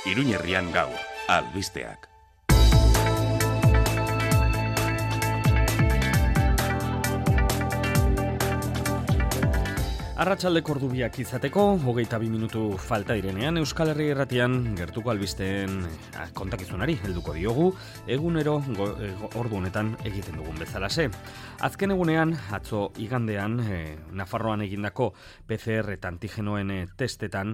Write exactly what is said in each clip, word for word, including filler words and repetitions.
Iruñerrian gaur, albisteak. Arratsaldeko ordubiak izateko, hogeita bi minutu falta direnean, Euskal Herri Irratian gertuko albisteen kontakizunari helduko diogu, egunero go, e, ordu honetan egiten dugun bezalase. Azken egunean, atzo igandean, e, Nafarroan egindako P C R eta antigenoen e, testetan,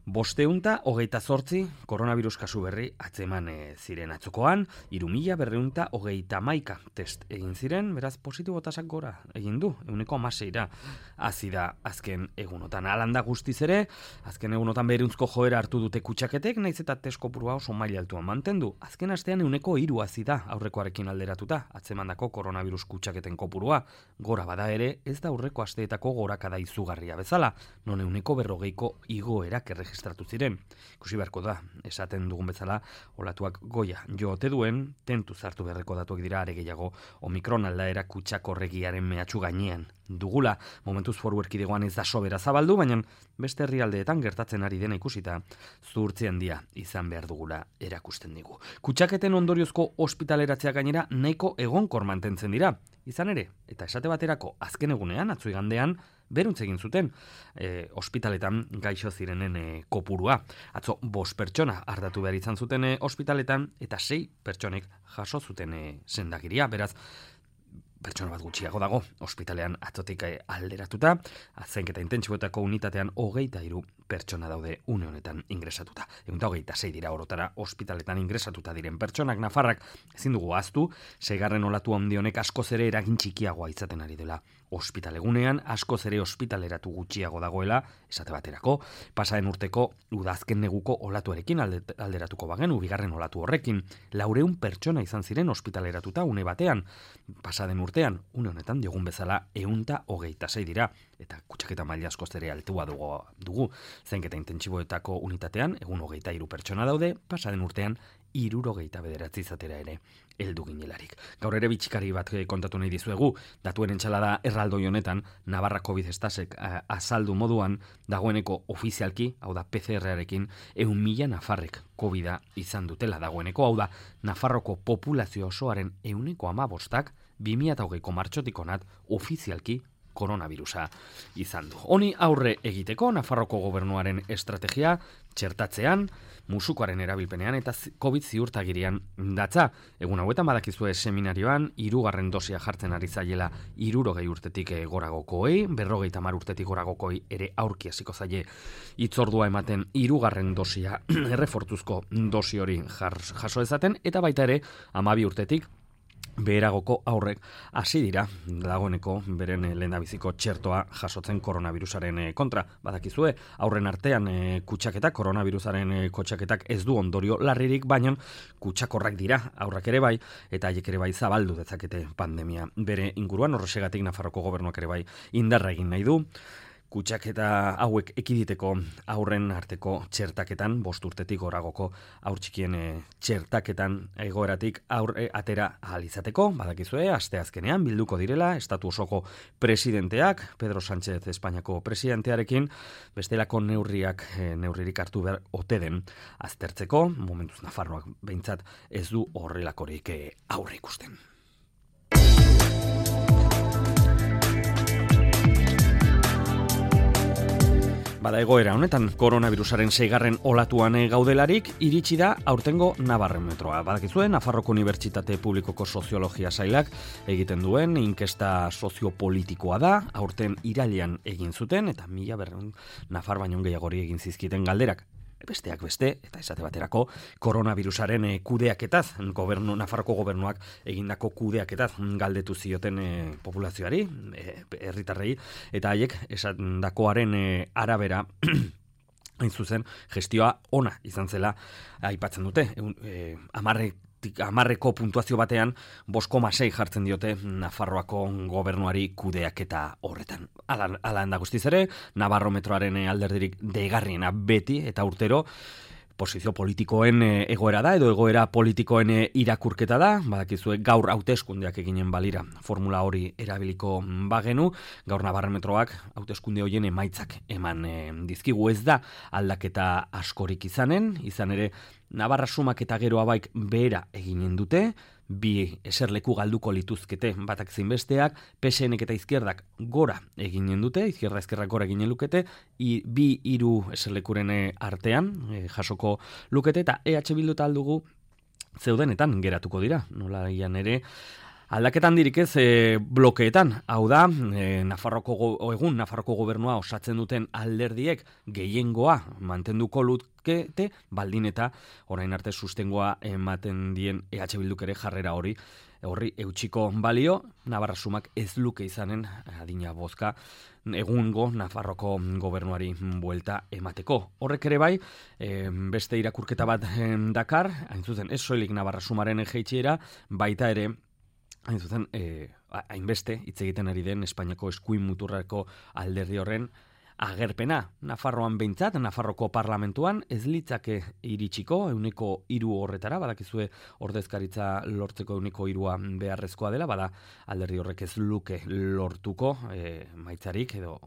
bosteunta hogeita zortzi koronavirus kasu berri atzeman e, ziren atzokoan, hiru mila berreunta hogeita hamaika test egin ziren, beraz positibotasak gora egin du, euneko hamaseira hazi da azken egunotan. Alanda guztiz ere, azken egunotan beruntzko joera hartu dute kutsaketek, naiz eta test kopurua oso maila altuan mantendu. Azken astean euneko hiru hazi da aurrekoarekin alderatuta, atzemandako koronavirus kutsaketen kopurua, gora bada ere, ez da aurreko asteetako gorakada izugarria bezala, non euneko berrogeiko igoerak erregistratu ziren. Ikusi beharko da, esaten dugun bezala, olatuak goia joote duen, tentu zartu beharreko datuak dira are gehiago Omikron aldaera kutsakorregiaren mehatxu gainean dugula. Momentuz foru erkidegoan ez da sobera zabaldu, baina beste herrialdeetan gertatzen ari dena ikusita zuhurtzi handia izan behar dugula erakusten digu. Kutsaketen ondoriozko ospitaleratzea gainera nahiko egonkor mantentzen dira. Izan ere, eta esate baterako azken egunean, atzo igandean, beruntz egin zuten e, ospitaletan gaixo zirenen e, kopurua. Atzo bost pertsona ardatu behar izan zuten e, ospitaletan, eta sei pertsonek jaso zuten e, sendagiria. Beraz, pertsona bat gutxiago dago, ospitalean atzotik alderatuta, zainketa intentsiboetako unitatean hogeita hiru pertsona daude une honetan ingresatuta. Egun da hogeita sei dira orotara ospitaletan ingresatuta diren pertsonak. Nafarrak ezin dugu ahaztu, seigarren olatu handi honek askoz ere eragin txikiagoa izaten ari dela. Ospitalegunean askoz ere ospitaleratu gutxiago dagoela, esate baterako, pasaren urteko udazken neguko olatuarekin alderatuko bagenu, bigarren olatu horrekin, laureun pertsona izan ziren ospitaleratuta une batean, pasaden urtean, une honetan diogun bezala eunta hogeita sei dira, eta kutsaketa maila askoz ere altua dugu, dugu. Zainketa intentsiboetako unitatean, egun hogeita hiru pertsona daude, pasaden urtean hirurogeita bederatzi izatera ere heldu ginelarik. Gaur ere bitxikari bat kontatu nahi dizuegu, datuen entxalada erraldoi honetan, Navarra COVID estasek azaldu moduan, dagoeneko ofizialki, hau da P C R-arekin, eun mila nafarrek COVID-a izan dutela dagoeneko, hau da Nafarroko populazio osoaren euneko amabostak, bi mila hogeiko martxotik onat ofizialki koronavirusa izan du. Honi aurre egiteko, Nafarroko gobernuaren estrategia txertatzean, musukoaren erabilpenean eta COVID ziurtagirian datza. Egun hauetan badakizue seminarioan, hirugarren dosia jartzen ari zaiela hirurogei urtetik goragokoei, berrogeita hamar urtetik goragokoi ere aurki hasiko zaie hitzordua ematen hirugarren dosia errefortuzko dosi hori jaso ezaten, eta baita ere hamabi urtetik beheragoko aurrek hasi dira dagoeneko beren lehendabiziko txertoa jasotzen koronavirusaren kontra. Badakizue, aurren artean e, kutsaketak, koronavirusaren e, kutsaketak ez du ondorio larririk, baina kutsakorrak dira aurrak ere bai, eta haiek ere bai zabaldu dezakete pandemia bere inguruan. Horrexegatik Nafarroko gobernuak ere bai indarra egin nahi du. Kutsaketa hauek ekiditeko aurren arteko txertaketan, bost urtetik goragoko aur txikien e, txertaketan egoeratik aurre atera ahal izateko, badakizue, asteazkenean bilduko direla, estatu osoko presidenteak, Pedro Sánchez Espainiako presidentearekin, bestelako neurriak, e, neurririk hartu behar ote den aztertzeko, momentuz Nafarroak behintzat ez du horrelakorik e, aurre ikusten. Bada egoera honetan, koronavirusaren seigarren olatuan gaudelarik, iritsi da aurtengo Nabarrometroa. Badakizuen, Nafarroko Unibertsitate Publikoko Soziologia Sailak egiten duen inkesta soziopolitikoa da, aurten irailean egin zuten, eta mila berreun Nafar baino gehiagori egin zizkiten galderak. Besteak beste, eta esate baterako, koronavirusaren e, kudeaketaz, gobernu, Nafarroko gobernuak egindako kudeaketaz galdetu zioten e, populazioari, e, herritarrei, eta haiek esandakoaren e, arabera, hain zuzen, gestioa ona izan zela aipatzen dute. E, amarrek Hamarreko puntuazio batean bost koma sei jartzen diote Nafarroako gobernuari kudeaketa horretan. Ala, ala handa guztiz ere, Nabarrometroaren alderdirik deigarriena beti eta urtero posizio politikoen egoera da, edo egoera politikoen irakurketa da, badakizue gaur hauteskundeak eginen balira formula hori erabiliko bagenu, gaur Nabarrometroak hauteskunde horien emaitzak eman e, dizkigu, ez da aldaketa askorik izanen, izan ere Navarra sumak eta Gero Abaik behera eginen dute, bi eserleku galduko lituzkete batak zein besteak, P S N eta Izquierdak gora eginen dute, Izquierda Ezkerrak gora eginen lukete, i, bi hiru eserlekuren artean e, jasoko lukete, eta E H Bildu eta aldugu zeudenetan geratuko dira, nola ian ere, aldaketan dirik ez e, blokeetan, hau da, e, Nafarroko go, egun Nafarroko gobernua osatzen duten alderdiek gehiengoa mantenduko lukete, baldin eta orain arte sustengoa ematen dien E H Bilduk ere jarrera hori horri eutxiko balio, Navarra sumak ez luke izanen adina bozka egungo Nafarroko gobernuari buelta emateko. Horrek ere bai, e, beste irakurketa bat e, dakar, hain zuzen ez soilik Navarra sumaren jeitsiera, baita ere hain zuzen, eh, hainbeste hitz egiten ari den Espainiako eskuin muturreko alderdi horren agerpena. Nafarroan behintzat, Nafarroko parlamentuan ez litzake iritsiko ehuneko hiru horretara, badakizue ordezkaritza lortzeko ehuneko hirua beharrezkoa dela, bada alderdi horrek ez luke lortuko eh, maitzarik edo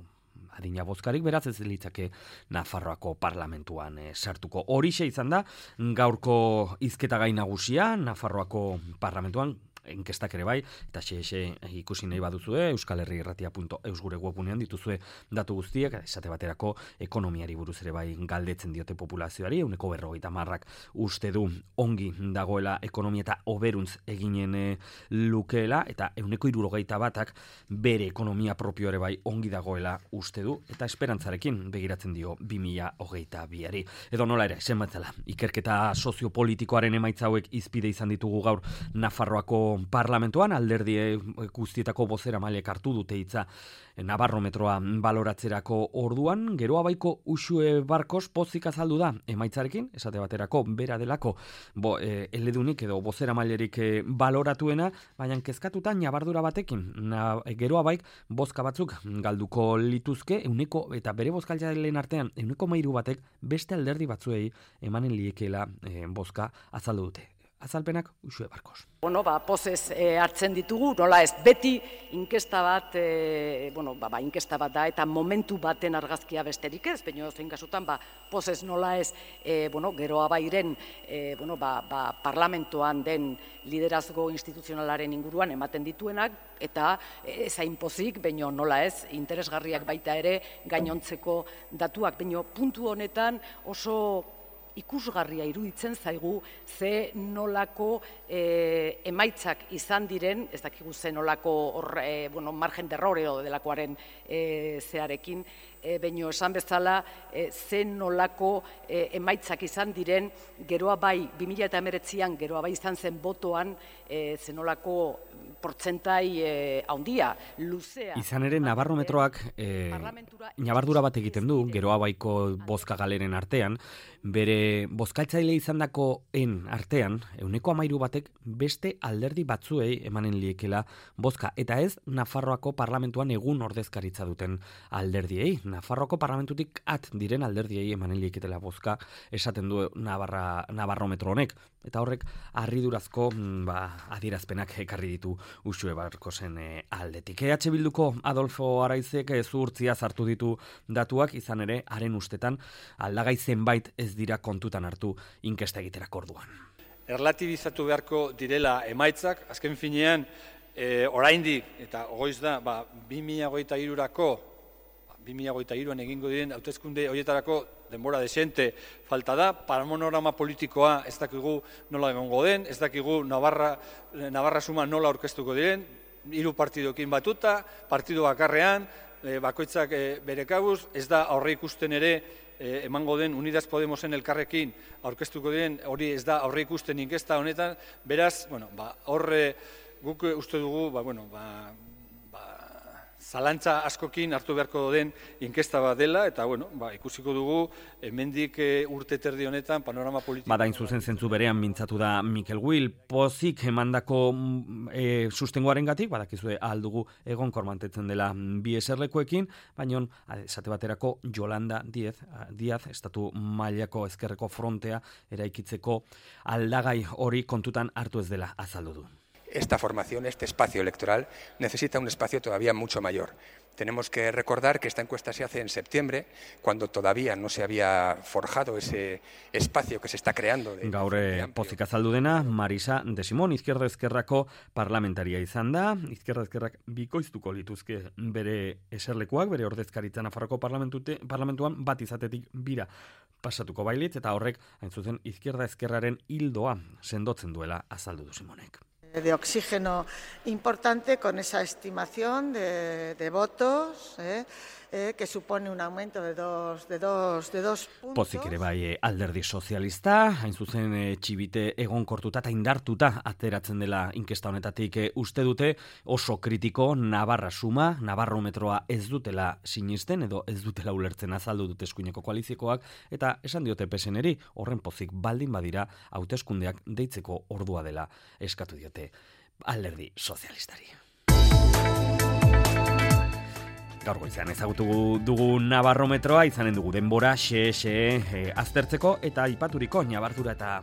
adina bozkarik, beraz ez litzake Nafarroako parlamentuan e, sartuko. Horixe izan da, gaurko hizketagai nagusia, Nafarroako parlamentuan, inkestak ere bai, eta xe ikusi nahi baduzue, euskal herri irratia punto eus gure webunean dituzue datu guztiak, esate baterako ekonomiari buruz ere bai galdetzen diote populazioari, ehuneko berrogeita hamarrak uste du ongi dagoela ekonomia eta oberuntz eginen e, lukeela, eta ehuneko hirurogeita batak bere ekonomia propio ere bai ongi dagoela uste du, eta esperantzarekin begiratzen dio bi mila hogeita biari. Edo nola ere, esan batzela, ikerketa soziopolitikoaren emaitza hauek izpide izan ditugu gaur Nafarroako parlamentuan, alderdi guztietako bozera mailek hartu dute hitza Nabarrometroa baloratzerako orduan, Gero Abaiko Uxue Barkos pozik azaldu da emaitzarekin, esate baterako bera delako bo, e, eledunik edo bozera mailerik e, baloratuena, baina kezkatuta nabardura batekin, na, Gero Abaik bozka batzuk galduko lituzke, euneko eta bere bozkaitzaileen artean euneko mairu batek beste alderdi batzuei emanen liekeela e, bozka azaldu dute. Azalpenak Uxue Barkos. Bueno, ba, pozez e, hartzen ditugu, nola ez beti inkesta bat, e, bueno, ba, ba, inkesta bat da, eta momentu baten argazkia besterik ez, baina zein kasutan, ba, pozez nola ez, e, bueno, Gero Abairen, e, bueno, ba, ba, parlamentoan den liderazgo instituzionalaren inguruan ematen dituenak, eta ez hain pozik, baina nola ez, interesgarriak baita ere gainontzeko datuak, baina puntu honetan oso ikusgarria iruditzen zaigu ze nolako e, emaitzak izan diren, ez dakigu ze nolako or, e, bueno, margen derroreo delakoaren e, zearekin, e, baino esan bezala e, ze nolako e, emaitzak izan diren Gero Abai, bi mila hemeretzian Gero Abai izan zen botoan, e, ze nolako portzentai e, haundia, luzea. Izan ere, Nabarrometroak e, nabardura bat egiten du, Gero Abaiko bozka galeren artean, bere bozkaitzaile izandakoen artean, ehuneko hamairu batek beste alderdi batzuei emanen liekela bozka, eta ez Nafarroako parlamentuan egun ordezkaritza duten alderdiei. Nafarroako parlamentutik at diren alderdiei emanen lieketela bozka esaten du Navarra, Nabarrometro honek, eta horrek harridurazko ba, adierazpenak ekarri ditu Uxue Barkosen e, aldetik. E H Bilduko Adolfo Araizek zuhurtzia sartu ditu datuak, izan ere, haren ustetan aldagai zenbait ez dira kontutan hartu inkesta egiterako orduan. Erlatibizatu beharko direla emaitzak, azken finean, e, oraindik, eta ogoiz da, ba, bi mila hogeita hirurako, bi mila hogeita hiruan egingo diren hauteskunde horietarako denbora desente falta da, panorama politikoa ez dakigu nola egongo den, ez dakigu Navarra, Navarra suma nola aurkeztuko diren, hiru partidokin batuta, partido bakarrean, e, bakoitzak e, bere kabuz, ez da aurre ikusten ere e, emango den Unidas Podemosen elkarrekin aurkeztuko diren, hori ez da aurre ikusten inkesta honetan, beraz, bueno, ba, horre guk uste dugu, ba, bueno, ba, zalantza askokin hartu beharko den inkesta bat dela, eta bueno, ba, ikusiko dugu, hemendik e, urte terdi honetan panorama politiko... Badain zuzen zentzu berean mintzatu da Mikel Will, pozik emandako e, sustengoaren gatik, badakizue aldugu egon kormantetzen dela bi eserlekuekin, baina esate baterako Yolanda Díaz, Díaz estatu mailako ezkerreko frontea eraikitzeko aldagai hori kontutan hartu ez dela azaldu du. Esta formación, este espacio electoral, necesita un espacio todavía mucho mayor. Tenemos que recordar que esta encuesta se hace en septiembre, cuando todavía no se había forjado ese espacio que se está creando. De, Gaur pozik azaldu dena, Marisa de Simón, Izquierda Ezkerrako parlamentaria izan da. Izquierda Ezkerrak bikoiztuko lituzke bere eserlekuak, bere ordezkaritza Nafarroko parlamentuan bat izatetik bira pasatuko bailitz, eta horrek, hain zuzen, Izquierda Ezkerraren hildoa sendotzen duela azaldu du Simonek. De oxígeno importante con esa estimación de, de votos eh, eh, que supone un aumento de dos, de dos, de dos puntos. Pozik ere bai alderdi sozialista, hain zuzen e, txibite egonkortuta eta indartuta ateratzen dela inkesta honetatik e, uste dute oso kritiko Navarra suma, Navarrometroa ez dutela sinisten edo ez dutela ulertzen azaldu dute eskuineko koaliziokoak, eta esan diote P S N-eri horren pozik baldin badira hauteskundeak deitzeko ordua dela eskatu diote alderdi sozialistari. Gaur goizean ezagutu dugu Navarrometroa, izanen dugu denbora xe xe e, aztertzeko eta aipaturiko ñabardura eta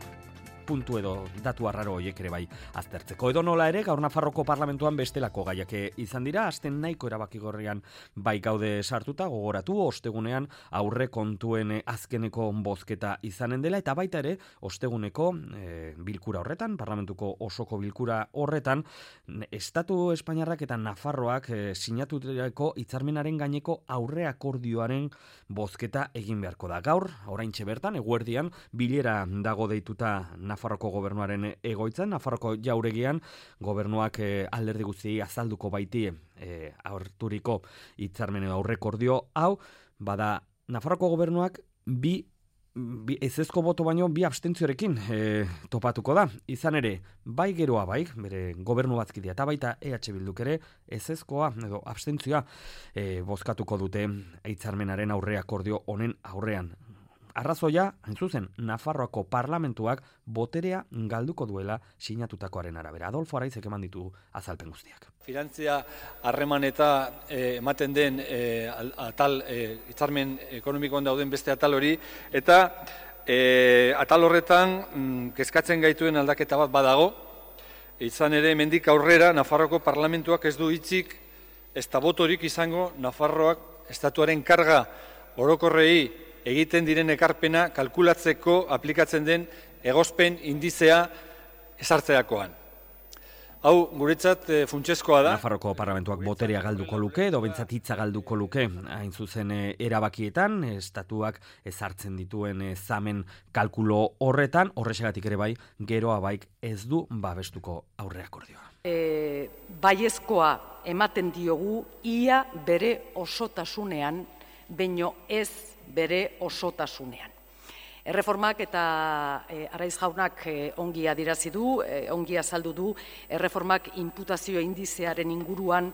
puntu edo datu arraro horiek ere bai aztertzeko. Edo nola ere, gaur Nafarroko parlamentuan bestelako gaiak izan dira, azten nahiko erabakigorrian bai gaude sartuta, gogoratu, ostegunean aurre kontuen azkeneko bozketa izanen dela, eta baita ere, osteguneko e, bilkura horretan, parlamentuko osoko bilkura horretan, Estatu Espainiarrak eta Nafarroak e, sinatutako hitzarmenaren gaineko aurre akordioaren bozketa egin beharko da. Gaur, oraintxe bertan, eguerdian, bilera dago deituta Nafarroko gobernuaren egoitzan, Nafarroko jauregian gobernuak e, alderdi guztiei azalduko baiti e, aurturiko hitzarmen edo aurrekordio hau, bada Nafarroko gobernuak bi, bi ezezko boto baino bi abstentziorekin e, topatuko da. Izan ere, bai geroa bai, bere gobernu batzkidea eta baita E H Bilduk ere ezezkoa edo abstentzioa e, bozkatuko dute hitzarmenaren aurre akordio honen aurrean. Arrazoia, hain zuzen, Nafarroako parlamentuak boterea galduko duela sinatutakoaren arabera. Adolfo Araizek eman ditu azalpen guztiak. Finantzia harreman eta eh, ematen den eh, atal, eh, hitzarmen ekonomikoan dauden beste atal hori, eta eh, atal horretan mm, kezkatzen gaituen aldaketa bat badago, izan ere hemendik aurrera Nafarroako parlamentuak ez du hitzik ez da botorik izango Nafarroak estatuaren karga orokorrei egiten diren ekarpena kalkulatzeko aplikatzen den egospen indizea ezartzeakoan. Hau, guretzat e, funtsezkoa da. Nafarroko parlamentuak boterea galduko luke, edo bentsat hitza galduko luke, hain zuzen e, erabakietan, estatuak ezartzen dituen e, zamen kalkulo horretan, horrexegatik ere bai, geroa baik ez du babestuko aurreakordioa. E, baiezkoa ematen diogu ia bere osotasunean, baino ez bere osotasunean. Erreformak eta e, Araiz jaunak e, ongi adirazi du, e, ongi azaldu du, erreformak inputazio indizearen inguruan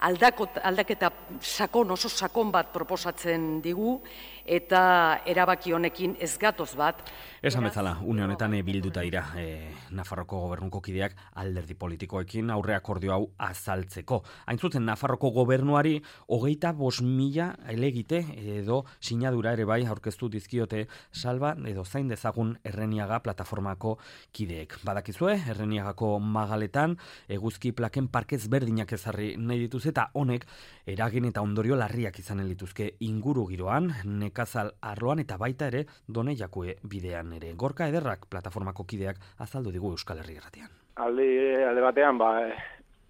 aldakot, aldaketa sakon, oso sakon bat proposatzen digu, eta erabaki honekin ez gatoz bat. Esan bezala, une honetan bilduta dira e, Nafarroko gobernuko kideak alderdi politikoekin aurre akordio hau azaltzeko. Hain zuzen, Nafarroko gobernuari hogeita bost mila elegite edo sinadura ere bai aurkeztu dizkiote salba edo zain dezagun Erreniaga plataformako kideek. Badakizue, Erreniagako magaletan eguzki plaken parkez berdinak ezarri nahi dituz eta honek eragin eta ondorio larriak izanen lituzke inguru giroan, nekazal arloan eta baita ere Done Jakue bidean ere. Gorka Ederrak plataformako kideak azaldu digu Euskal Herri Irratian. Alde, alde batean, ba,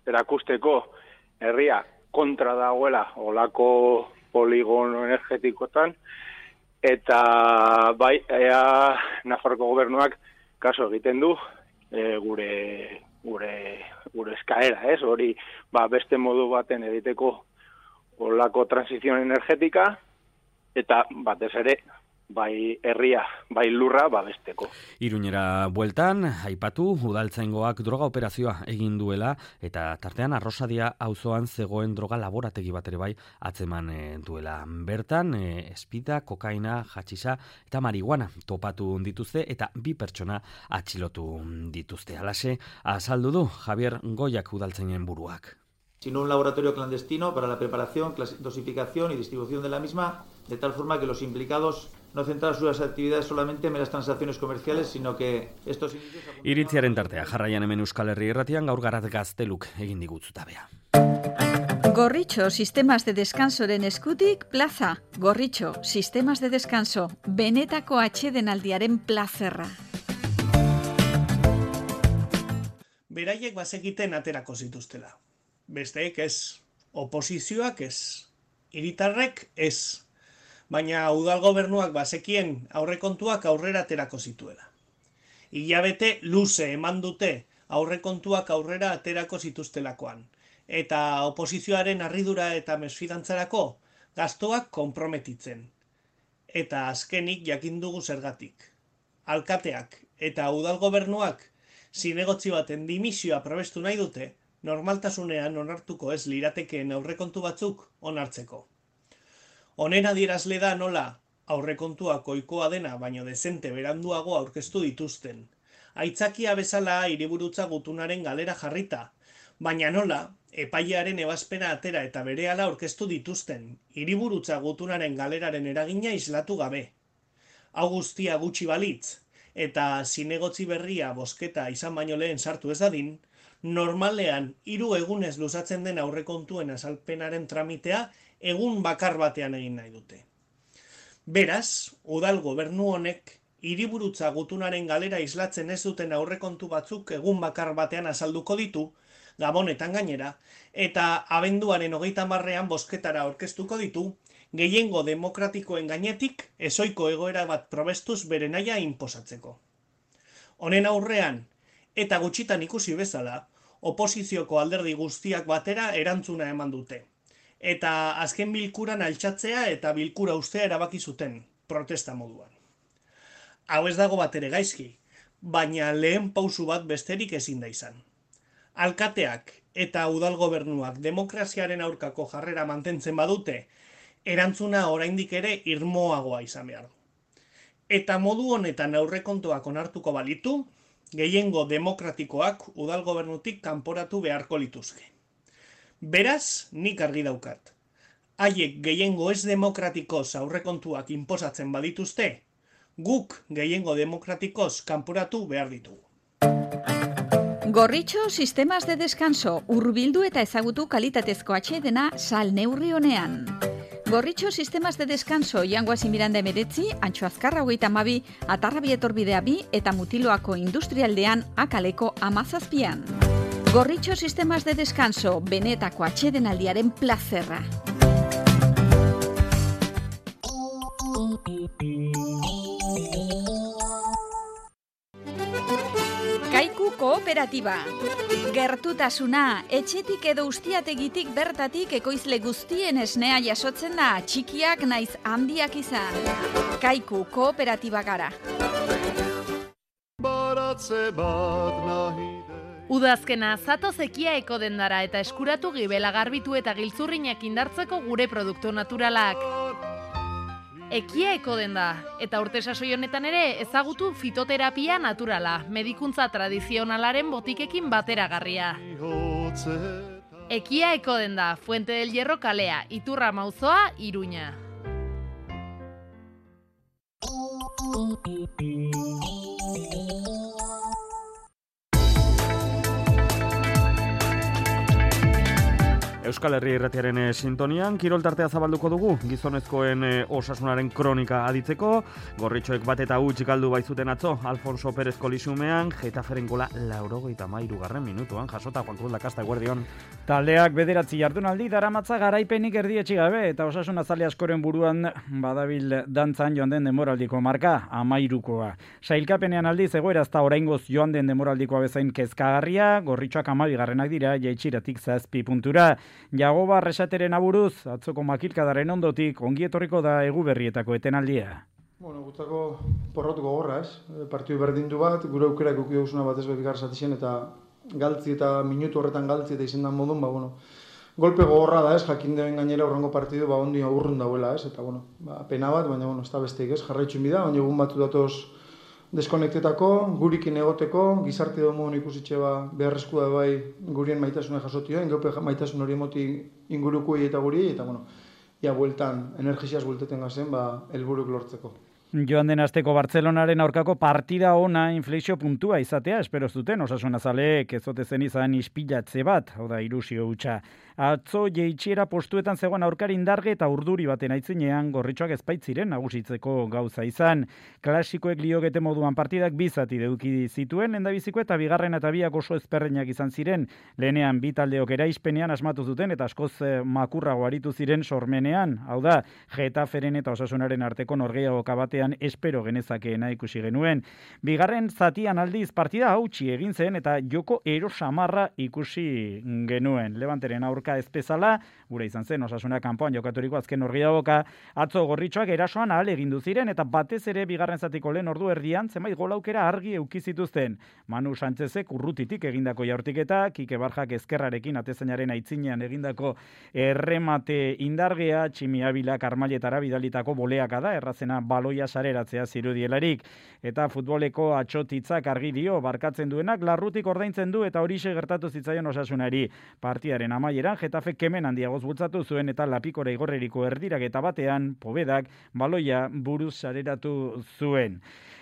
erakusteko herria kontra dagoela olako poligono energetikotan, eta bai, ea Nafarroko gobernuak kaso egiten du e, gure gure gure eskaera, ez? Hori, ba, beste modu baten egiteko olako transizion energetika, eta batez ere, bai herria, bai lurra babesteko. Iruñera bueltan, aipatu, udaltzaingoak droga operazioa egin duela, eta tartean Arrosadia auzoan zegoen droga laborategi bat ere bai atzeman e, duela. Bertan, e, espida, kokaina, hatxisa eta marihuana topatu dituzte eta bi pertsona atxilotu dituzte. Halaxe, azaldu du Javier Goiak udaltzainen buruak. Sino un laboratorio clandestino para la preparación, dosificación y distribución de la misma, de tal forma que los implicados no centrar sus actividades solamente en meras transacciones comerciales, sino que estos indicios... Iritziaren tartea, jarraian hemen Euskal Herri Irratian gaur garat gazteluk egin digutzutabea. Gorritxo, sistemas de descansoren eskutik, plaza. Gorritxo, sistemas de descanso, benetako atsedenaldiaren plazerra. Beraiek bazekiten aterako zituztela. Besteek ez, oposizioak ez, hiritarrek ez, baina udal gobernuak bazekien aurrekontuak aurrera aterako zituela. Hilabete luze eman dute aurrekontuak aurrera aterako zituztelakoan, eta oposizioaren harridura eta mesfidantzarako gastoak konprometitzen. Eta azkenik jakin dugu zergatik. Alkateak eta udal gobernuak zinegotzi baten dimisioa probestu nahi dute, normaltasunean onartuko ez liratekeen aurrekontu batzuk onartzeko. Honen adierazle da nola aurrekontuak ohikoa dena baino dezente beranduago aurkeztu dituzten. Aitzakia bezala hiriburutza gutunaren galera jarrita, baina nola epailearen ebazpena atera eta berehala aurkeztu dituzten, hiriburutza gutunaren galeraren eragina islatu gabe. Hau guztia gutxi balitz, eta zinegotzi berria bozketa izan baino lehen sartu ez dadin, normalean hiru egunez luzatzen den aurrekontuen azalpenaren tramitea egun bakar batean egin nahi dute. Beraz, udal gobernu honek hiriburutza gutunaren galera islatzen ez duten aurrekontu batzuk egun bakar batean azalduko ditu, Gabonetan gainera, eta abenduaren hogeita hamarrean bozketara aurkeztuko ditu, gehiengo demokratikoen gainetik ezoiko egoera bat probestuz bere nahia inposatzeko. Honen aurrean, eta gutxitan ikusi bezala, oposizioko alderdi guztiak batera erantzuna eman dute. Eta azken bilkuran altxatzea eta bilkura ustea erabaki zuten, protesta moduan. Hau ez dago bat ere gaizki, baina lehen pausu bat besterik ezin da izan. Alkateak eta udal gobernuak demokraziaren aurkako jarrera mantentzen badute, erantzuna oraindik ere irmoagoa izan behar du. Eta modu honetan aurrekontuak onartuko balitu, gehiengo demokratikoak udal gobernutik kanporatu beharko lituzke. Beraz, nik argi daukat. Haiek gehiengo ez demokratikoz aurrekontuak inposatzen badituzte, guk gehiengo demokratikoz kanporatu behar ditugu. Gorritxo sistemas de descanso, hurbildu eta ezagutu kalitatezko atsedena sal neurri honean. Gorritxo sistemas de descanso, Jangoasi Miranda emeretzi, Antxo Azkarra hogeita hamabi, Atarrabi etorbidea bi eta Mutiloako industrialdean akaleko amazazpian. Gorritxo sistemas de descanso, benetako atsedenaldiaren plazerra. Kaiku Kooperatiba. Gertutasuna, etxetik edo ustiategitik bertatik ekoizle guztien esnea jasotzen da, txikiak naiz handiak izan. Kaiku Kooperatiba gara. Udazkena zatoz ekiaeko dendara eta eskuratu gibela garbitu eta giltzurrinak indartzeko gure produktu naturalak. Ekiaeko denda, eta urte sasoi honetan ere ezagutu fitoterapia naturala, medikuntza tradizionalaren botikekin bateragarria. Ekiaeko denda, Fuente del Hierro kalea, Iturra Mauzoa, Iruña. Euskal Herri Irratiaren e, sintonian, kirol tartea zabalduko dugu, gizonezkoen e, osasunaren kronika aditzeko, gorritxoek bat eta hutsik aldu baizuten atzo, Alfonso Pérez kolisumean, Getaferen gola laurogeita hamairu garren minutuan, jasota Juan Cruz Lakasta eguerdion. Taldeak bederatzi jardunaldi daramatza garaipenik erdietxi gabe, eta osasun azale askoren buruan badabil dantzan joan den demoraldiko marka, amairukoa. Sailkapenean aldiz egoera ezta oraingoz joan den demoraldikoa bezain kezkagarria, gorritxoak hamabigarrenak dira, jaitsiratik zazpi puntura. Jagoba Resateren aburuz, atzoko makilkadaren ondotik, ongi etorriko da Eguberrietako etenaldia. Bueno, gutako porrot gogorra, ez? Partidu berdindu bat, gure aukerak uki dugusuna batez bebigar zatixen, eta galtzi eta minutu horretan galtzi eta izendan modun, ba, bueno, golpe gogorra da, ez? Jakin deben gainera horrengo partidu, ba, ondi aurrun dauela, ez? Eta, bueno, ba, pena bat, baina, bueno, ez da besteik, ez? Jarraitxun bida, baina egun batu datoz deskonektetako, gurikin egoteko, gizarte domon ikusitxe ba, beharrezkoa da bai gurien maitasuna jasotioa, ingope maitasun hori emoti ingurukui eta guri, eta, bueno, ia bueltan, energiziaz buelteten gazen, ba, helburuk lortzeko. Joan den asteko Bartzelonaren aurkako partida ona inflexio puntua izatea, espero zuten, Osasuna zaleek ez ote zen izan ispilatze bat, hau da, ilusio hutsa. Atzo jeitxiera postuetan zegoen aurkari indarge eta urduri baten aitzinean gorritxoak ezpaitziren nagusitzeko gauza izan. Klasikoek liogete moduan partidak bizati eduki zituen, lendabiziko eta bigarren eta biak oso ezperreinak izan ziren. Lehenean bi taldeok eraispenean asmatu zuten eta askoz makurrago aritu ziren sormenean. Hau da, Getaferen eta Osasunaren arteko norgehiagoka batean espero genezakeena ikusi genuen. Bigarren zatian aldiz partida hautsi egin zen eta joko erosamarra ikusi genuen. Levanteren aurka ez bezala, gure izan zen Osasuna kanpoan jokaturiko azken norgehiagoka, atzo gorritxoak erasoan ahal egindu ziren eta batez ere bigarren zatiko lehen ordu erdian zenbait golaukera argi eduki zituzten. Manu Sánchezek urrutitik egindako jaurtiketa, Kike Barjak ezkerrarekin atezainaren aitzinean egindako erremate indargea, Tximi Abilak armailetara bidalitako boleaka da, errazena baloia sareratzea zirudielarik. Eta futboleko atxotitzak argi dio, barkatzen duenak larrutik ordaintzen du eta horixe gertatu zitzaion Osasunari. Partiaren amaieran Getafe kemen handiagoz bultzatu zuen eta Lapikora igorreriko erdirak eta batean Povedak baloia buruz sareratu zuen.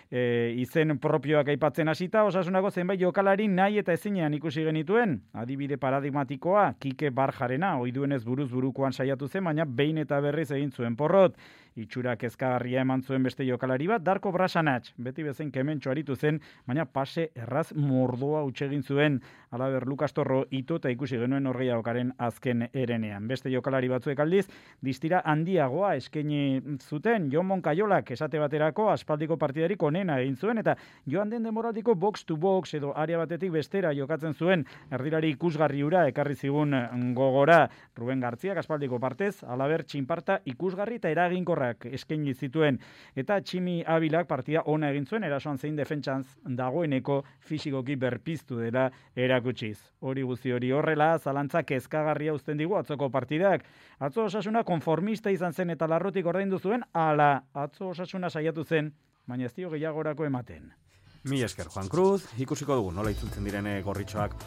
E, izen propioak aipatzen hasita, Osasunako zenbait jokalari nahi eta ezinean ikusi genituen. Adibide paradigmatikoa, Kike Barjarena, oiduenez buruz burukoan saiatu zen, baina behin eta berriz egin zuen porrot. Itxura kezkagarria eman zuen beste jokalari bat, Darko Brasanatx, beti bezain kementxo aritu zen, baina pase erraz mordoa utxegin zuen. Alaber Lukas Torro ito eta ikusi genuen norgehiagokaren azken erenean. Beste jokalari batzuek aldiz, distira handiagoa eskaini zuten, Jon Moncayolak esate baterako aspaldiko partidarik onena egin zuen, eta joan den demoraldiko box to box edo area batetik bestera jokatzen zuen, erdilari ikusgarri hura ekarri zigun gogora. Ruben Gartziak aspaldiko partez, Alaber Txinparta ikusgarri eta eraginkorrak eskaini zituen, eta Tximi Abilak partida ona egin zuen, erasoan zein defentsantz dagoeneko fisikoki berpiztu dela erakutsiz. Hori guzti hori horrela, zalantza kezkagarria uzten digu atzoko partidak. Atzo Osasuna konformista izan zen eta larrotik ordaindu zuen, ala, atzo Osasuna saiatu zen, baina ez dio gehiagorako ematen. Mi esker, Juan Cruz, ikusiko dugu nola itzultzen direne gorritxoak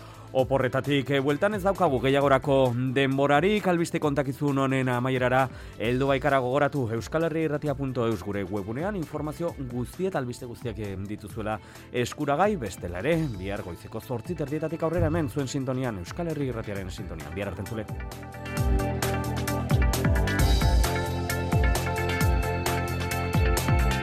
oporretatik. E, bueltan ez daukagu gehiagorako denborarik, albiste kontakizun honen amaierara, heldu baikara gogoratu euskal herri irratia puntu eus gure webunean, informazio guztiet, albiste guztiak dituzuela eskuragai, bestela ere, bihar goizeko zortzi terdietatik aurrera hemen zuen sintonian, euskal herri irratiaren sintonian, bihar artentzule.